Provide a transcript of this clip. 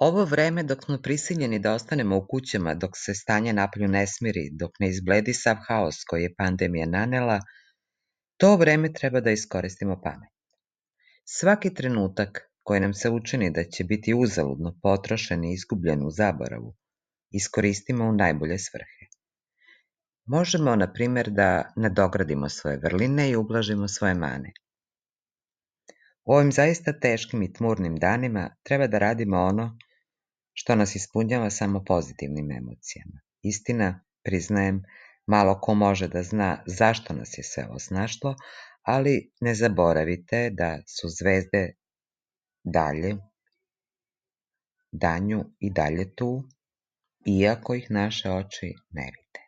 Ovo vreme dok smo prisiljeni da ostanemo u kućama, dok se stanje napolju ne smiri, dok ne izbledi sav haos koji je pandemija nanela, to vreme treba da iskoristimo pametno. Svaki trenutak koji nam se učini da će biti uzaludno potrošen i izgubljen u zaboravu, iskoristimo u najbolje svrhe. Možemo, na primjer, da nadogradimo svoje vrline i ublažimo svoje mane. U ovim zaista teškim i tmurnim danima treba da radimo ono što nas ispunjava samo pozitivnim emocijama. Istina, priznajem, malo ko može da zna zašto nas je sve ovo snašlo, ali ne zaboravite da su zvezde dalje, danju i dalje tu, iako ih naše oči ne vide.